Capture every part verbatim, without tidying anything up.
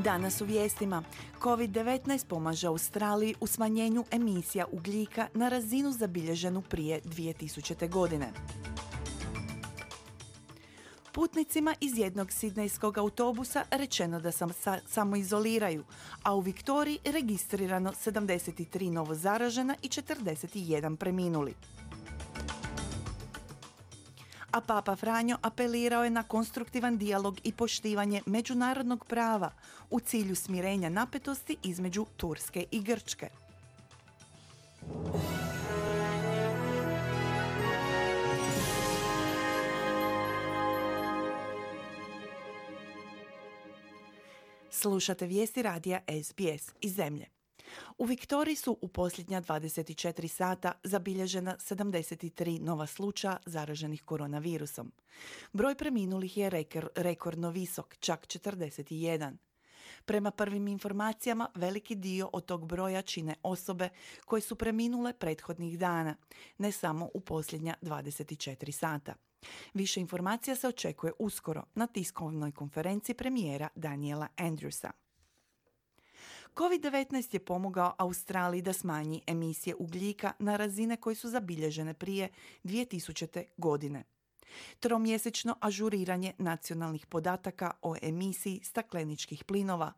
Danas u vijestima. kovid devetnaest pomaže Australiji u smanjenju emisija ugljika na razinu zabilježenu prije dvije tisućite. godine. Putnicima iz jednog sidnejskog autobusa rečeno da se sa, samoizoliraju, a u Viktoriji registrirano sedamdeset tri novo zaražena i četrdeset jedan preminuli. A Papa Franjo apelirao je na konstruktivan dijalog i poštivanje međunarodnog prava u cilju smirenja napetosti između Turske i Grčke. Slušate vijesti radija S B S iz zemlje. U Viktoriji su u posljednja dvadeset četiri sata zabilježena sedamdeset tri nova slučaja zaraženih koronavirusom. Broj preminulih je rekor, rekordno visok, čak četrdeset jedan. Prema prvim informacijama, veliki dio od tog broja čine osobe koje su preminule prethodnih dana, ne samo u posljednja dvadeset četiri sata. Više informacija se očekuje uskoro na tiskovnoj konferenciji premijera Daniela Andrewsa. kovid devetnaest je pomogao Australiji da smanji emisije ugljika na razine koje su zabilježene prije dvije tisućite. godine. Tromjesečno ažuriranje nacionalnih podataka o emisiji stakleničkih plinova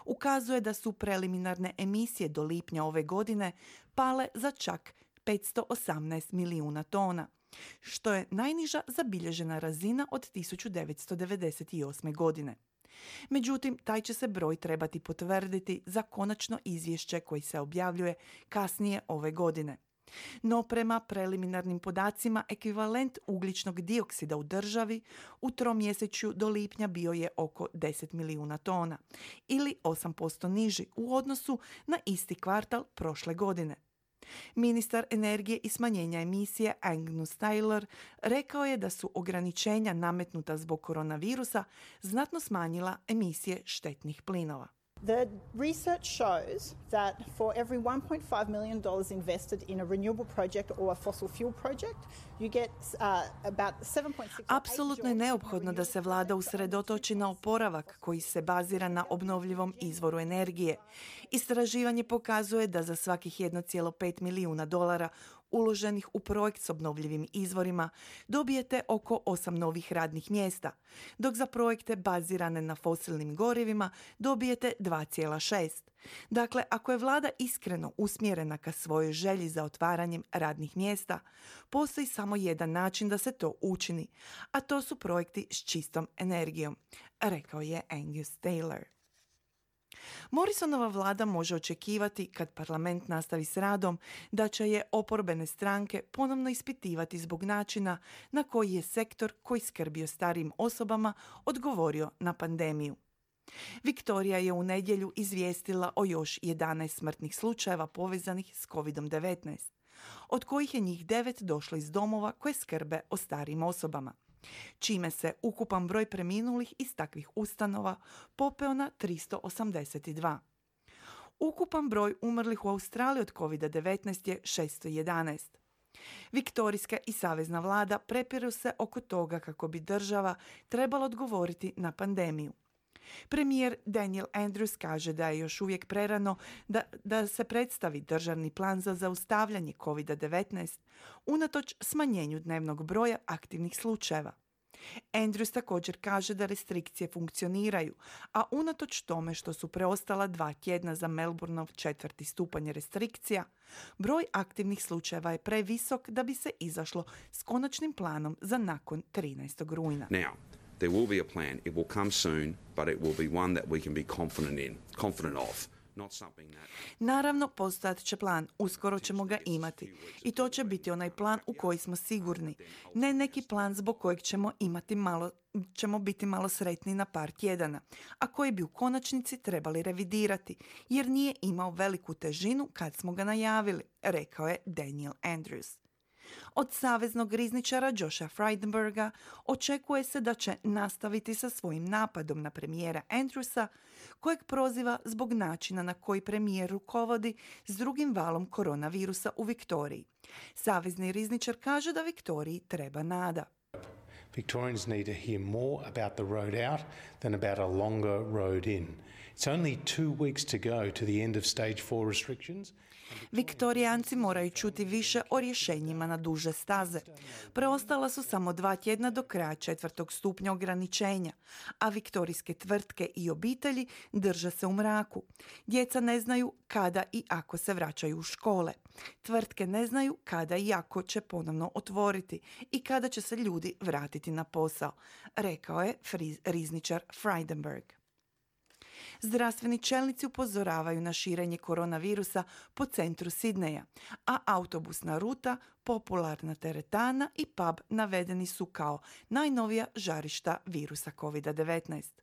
ukazuje da su preliminarne emisije do lipnja ove godine pale za čak petsto osamnaest milijuna tona, što je najniža zabilježena razina od tisuću devetsto devedeset osme. godine. Međutim, taj će se broj trebati potvrditi za konačno izvješće koji se objavljuje kasnije ove godine. No prema preliminarnim podacima, ekvivalent ugljičnog dioksida u državi u tromjesečju do lipnja bio je oko deset milijuna tona ili osam posto niži u odnosu na isti kvartal prošle godine. Ministar energije i smanjenja emisije Angus Taylor rekao je da su ograničenja nametnuta zbog koronavirusa znatno smanjila emisije štetnih plinova. The research shows that for every one point five million dollars invested in a renewable project or a fossil fuel project, you get uh, about seven point six. Apsolutno je neophodno da se vlada usredotoči na oporavak koji se bazira na obnovljivom izvoru energije. Istraživanje pokazuje da za svakih jedan zarez pet milijuna dolara uloženih u projekt s obnovljivim izvorima dobijete oko osam novih radnih mjesta, dok za projekte bazirane na fosilnim gorivima dobijete dva zarez šest. Dakle, ako je vlada iskreno usmjerena ka svojoj želji za otvaranjem radnih mjesta, postoji samo jedan način da se to učini, a to su projekti s čistom energijom, rekao je Angus Taylor. Morrisonova vlada može očekivati, kad parlament nastavi s radom, da će je oporbene stranke ponovno ispitivati zbog načina na koji je sektor koji skrbi o starijim osobama odgovorio na pandemiju. Viktorija je u nedjelju izvijestila o još jedanaest smrtnih slučajeva povezanih s kovid devetnaest, od kojih je njih devet došlo iz domova koje skrbe o starijim osobama, čime se ukupan broj preminulih iz takvih ustanova popeo na tristo osamdeset dva. Ukupan broj umrlih u Australiji od kovid devetnaest je šesto jedanaest. Viktorijska i savezna vlada prepiru se oko toga kako bi država trebala odgovoriti na pandemiju. Premijer Daniel Andrews kaže da je još uvijek prerano da, da se predstavi državni plan za zaustavljanje kovid devetnaest unatoč smanjenju dnevnog broja aktivnih slučajeva. Andrews također kaže da restrikcije funkcioniraju, a unatoč tome što su preostala dva tjedna za Melbourneov četvrti stupanj restrikcija, broj aktivnih slučajeva je previsok da bi se izašlo s konačnim planom za nakon trinaestog rujna. Now, there will be a plan. It will come soon, but it will be one that we can be confident in, confident of. Not something that... Naravno, postojat će plan. Uskoro ćemo ga imati. I to će biti onaj plan u koji smo sigurni. Ne neki plan zbog kojeg ćemo imati malo, ćemo biti malo sretni na par tjedana, a koji bi u konačnici trebali revidirati, jer nije imao veliku težinu kad smo ga najavili, rekao je Daniel Andrews. Od saveznog rizničara Josha Frydenberga očekuje se da će nastaviti sa svojim napadom na premijera Andrewsa, kojeg proziva zbog načina na koji premijer rukovodi s drugim valom koronavirusa u Viktoriji. Savezni rizničar kaže da Viktoriji treba nada. Victorians need to hear more about the road out than about a longer road in. It's only two weeks to go to the end of stage four restrictions. Viktorijanci moraju čuti više o rješenjima na duže staze. Preostala su samo dva tjedna do kraja četvrtog stupnja ograničenja, a viktorijske tvrtke i obitelji drže se u mraku. Djeca ne znaju kada i ako se vraćaju u škole. Tvrtke ne znaju kada i ako će ponovno otvoriti i kada će se ljudi vratiti na posao, rekao je rizničar Frydenberg. Zdravstveni čelnici upozoravaju na širenje koronavirusa po centru Sidneja, a autobusna ruta, popularna teretana i pub navedeni su kao najnovija žarišta virusa kovid devetnaest.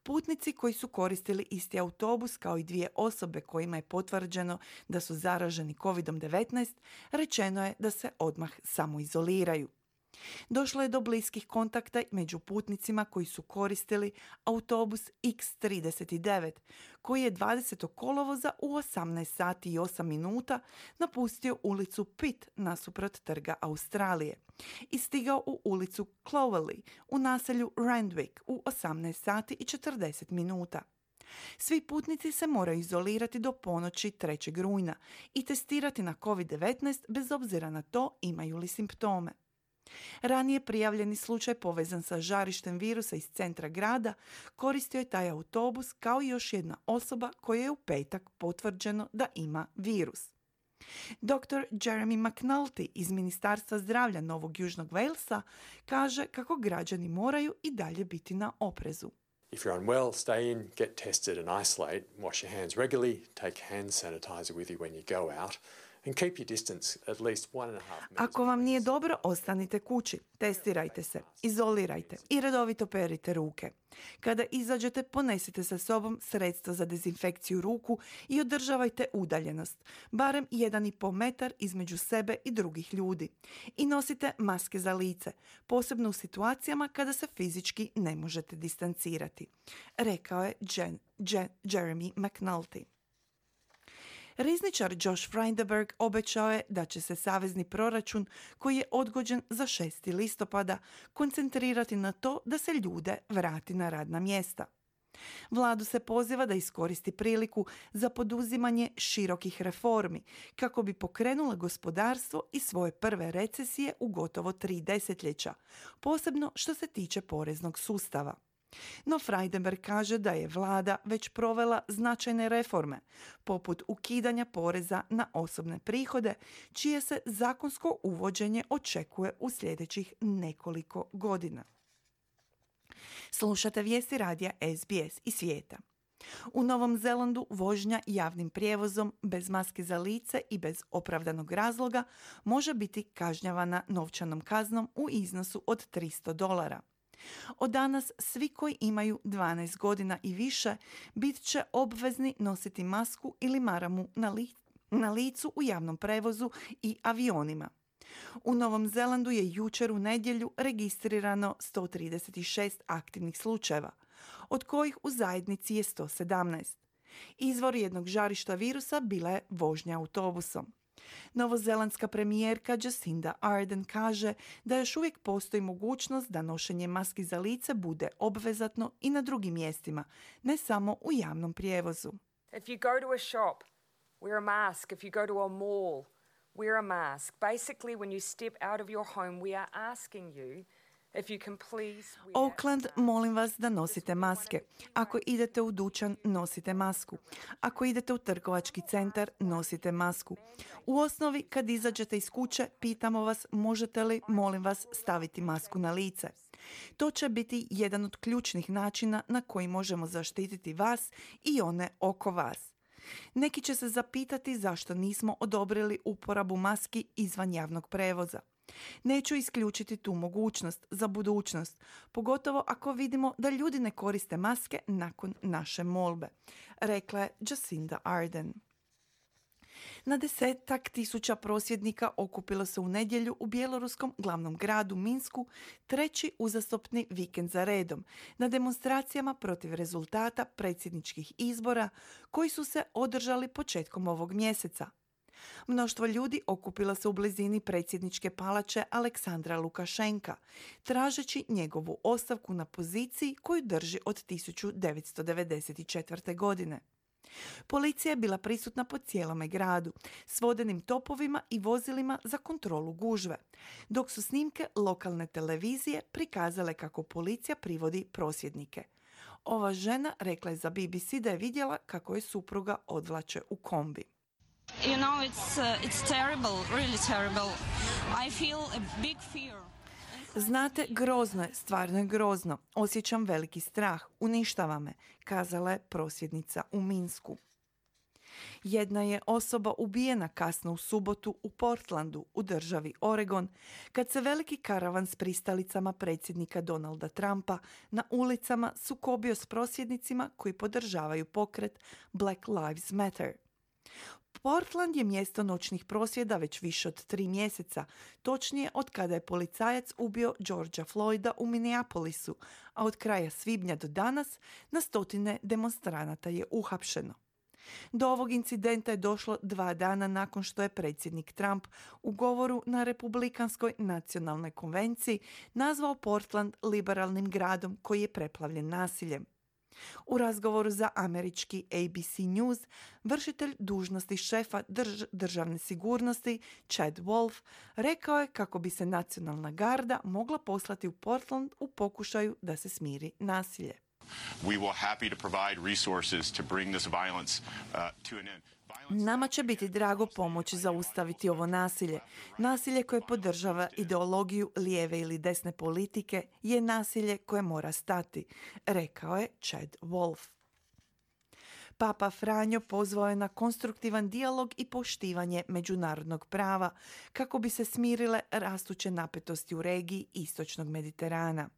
Putnici koji su koristili isti autobus kao i dvije osobe kojima je potvrđeno da su zaraženi kovid devetnaest, rečeno je da se odmah samoizoliraju. Došlo je do bliskih kontakta među putnicima koji su koristili autobus iks trideset devet, koji je dvadesetog kolovoza u osamnaest sati i osam minuta napustio ulicu Pitt nasuprot trga Australije i stigao u ulicu Clovelly u naselju Randwick u osamnaest sati i četrdeset minuta. Svi putnici se moraju izolirati do ponoći trećeg rujna i testirati na kovid devetnaest bez obzira na to imaju li simptome. Ranije prijavljeni slučaj povezan sa žarištem virusa iz centra grada koristio je taj autobus kao i još jedna osoba koja je u petak potvrđeno da ima virus. doktor Jeremy McNulty iz Ministarstva zdravlja Novog Južnog Walesa kaže kako građani moraju i dalje biti na oprezu. If you're unwell, stay in, get tested and isolate, wash your hands regularly, take hand sanitizer with you when you go out. And keep your distance at least one and a half meters. Ako vam nije dobro, ostanite kući, testirajte se, izolirajte i redovito perite ruke. Kada izađete, ponesite sa sobom sredstvo za dezinfekciju ruku i održavajte udaljenost, barem jedan i pol metar između sebe i drugih ljudi. I nosite maske za lice, posebno u situacijama kada se fizički ne možete distancirati, rekao je Jen, Jen, Jeremy McNulty. Rizničar Josh Frydenberg obećao je da će se savezni proračun, koji je odgođen za šesti listopada, koncentrirati na to da se ljude vrati na radna mjesta. Vladu se poziva da iskoristi priliku za poduzimanje širokih reformi kako bi pokrenula gospodarstvo iz svoje prve recesije u gotovo tri desetljeća, posebno što se tiče poreznog sustava. No Frydenberg kaže da je vlada već provela značajne reforme, poput ukidanja poreza na osobne prihode, čije se zakonsko uvođenje očekuje u sljedećih nekoliko godina. Slušate vijesti radija es bi es iz svijeta. U Novom Zelandu vožnja javnim prijevozom bez maske za lice i bez opravdanog razloga može biti kažnjavana novčanom kaznom u iznosu od tristo dolara. Od danas svi koji imaju dvanaest godina i više bit će obvezni nositi masku ili maramu na, li- na licu u javnom prevozu i avionima. U Novom Zelandu je jučer u nedjelju registrirano sto trideset šest aktivnih slučajeva, od kojih u zajednici je sto sedamnaest. Izvor jednog žarišta virusa bila je vožnja autobusom. Novozelandska premijerka Jacinda Ardern kaže da još uvijek postoji mogućnost da nošenje maski za lice bude obvezatno i na drugim mjestima, ne samo u javnom prijevozu. If you go to a shop, wear a mask. If you go to a mall, wear a mask. Basically, when you step out of your home, we are asking you if you can please wear... Auckland, molim vas da nosite maske. Ako idete u dućan, nosite masku. Ako idete u trgovački centar, nosite masku. U osnovi, kad izađete iz kuće, pitamo vas možete li, molim vas, staviti masku na lice. To će biti jedan od ključnih načina na koji možemo zaštititi vas i one oko vas. Neki će se zapitati zašto nismo odobrili uporabu maski izvan javnog prevoza. Neću isključiti tu mogućnost za budućnost, pogotovo ako vidimo da ljudi ne koriste maske nakon naše molbe, rekla je Jacinda Ardern. Na desetak tisuća prosvjednika okupilo se u nedjelju u bjeloruskom glavnom gradu Minsku treći uzastopni vikend za redom na demonstracijama protiv rezultata predsjedničkih izbora koji su se održali početkom ovog mjeseca. Mnoštvo ljudi okupilo se u blizini predsjedničke palače Aleksandra Lukašenka, tražeći njegovu ostavku na poziciji koju drži od tisuću devetsto devedeset četvrte. godine. Policija je bila prisutna po cijelome gradu, s vodenim topovima i vozilima za kontrolu gužve, dok su snimke lokalne televizije prikazale kako policija privodi prosvjednike. Ova žena rekla je za B B C da je vidjela kako je supruga odvlače u kombi. You know, it's, uh, it's terrible, really terrible. I feel a big fear. Znate, grozno je, stvarno je grozno. Osjećam veliki strah, uništava me, kazala je prosvjednica u Minsku. Jedna je osoba ubijena kasno u subotu u Portlandu, u državi Oregon, kad se veliki karavan s pristalicama predsjednika Donalda Trumpa na ulicama sukobio s prosvjednicima koji podržavaju pokret Black Lives Matter. Portland je mjesto noćnih prosvjeda već više od tri mjeseca, točnije od kada je policajac ubio Georgea Floyda u Minneapolisu, a od kraja svibnja do danas na stotine demonstranata je uhapšeno. Do ovog incidenta je došlo dva dana nakon što je predsjednik Trump u govoru na Republikanskoj nacionalnoj konvenciji nazvao Portland liberalnim gradom koji je preplavljen nasiljem. U razgovoru za američki A B C News, vršitelj dužnosti šefa drž- državne sigurnosti Chad Wolf rekao je kako bi se nacionalna garda mogla poslati u Portland u pokušaju da se smiri nasilje. We will happy to provide resources to bring this violence uh, to an end. Nama će biti drago pomoći zaustaviti ovo nasilje. Nasilje koje podržava ideologiju lijeve ili desne politike je nasilje koje mora stati, rekao je Chad Wolf. Papa Franjo pozvao je na konstruktivan dijalog i poštivanje međunarodnog prava kako bi se smirile rastuće napetosti u regiji istočnog Mediterana.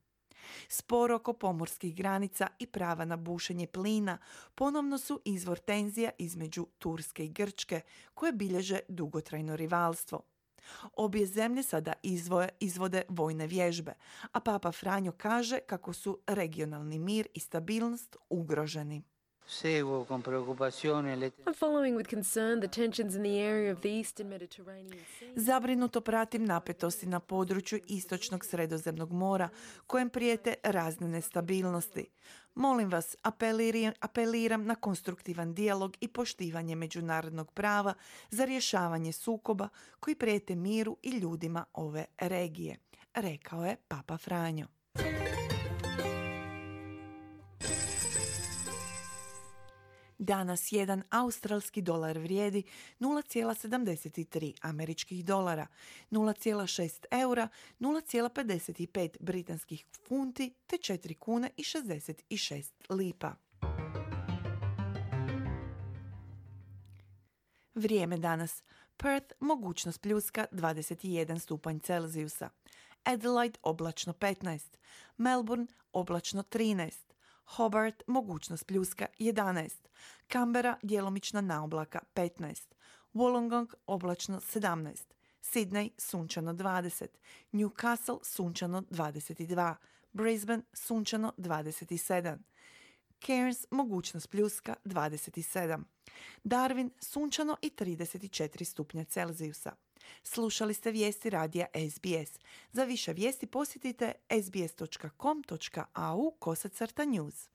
Spor oko pomorskih granica i prava na bušenje plina ponovno su izvor tenzija između Turske i Grčke, koje bilježe dugotrajno rivalstvo. Obje zemlje sada izvoje, izvode vojne vježbe, a Papa Franjo kaže kako su regionalni mir i stabilnost ugroženi. I'm following with concern the tensions in the area of the eastern Mediterranean Sea. Zabrinuto pratim napetosti na području istočnog Sredozemnog mora, kojem prijete razne nestabilnosti. Molim vas, apeliram, apeliram na konstruktivan dijalog i poštivanje međunarodnog prava za rješavanje sukoba koji prijete miru i ljudima ove regije, rekao je Papa Franjo. Danas jedan australski dolar vrijedi nula zarez sedamdeset tri američkih dolara, nula zarez šest eura, nula zarez pedeset pet britanskih funti te četiri kune i šezdeset šest lipa. Vrijeme danas. Perth mogućnost pljuska dvadeset jedan stupanj Celzijusa. Adelaide oblačno petnaest. Melbourne oblačno trinaest. Hobart mogućnost pljuska jedanaest. Canberra djelomična naoblaka petnaest. Wollongong oblačno sedamnaest. Sydney sunčano dvadeset. Newcastle sunčano dvadeset dva. Brisbane sunčano dvadeset sedam. Cairns mogućnost pljuska dvadeset sedam. Darwin sunčano i trideset četiri stupnja Celzijusa. Slušali ste vijesti radija S B S. Za više vijesti posjetite sbs dot com dot a u kosacrta news.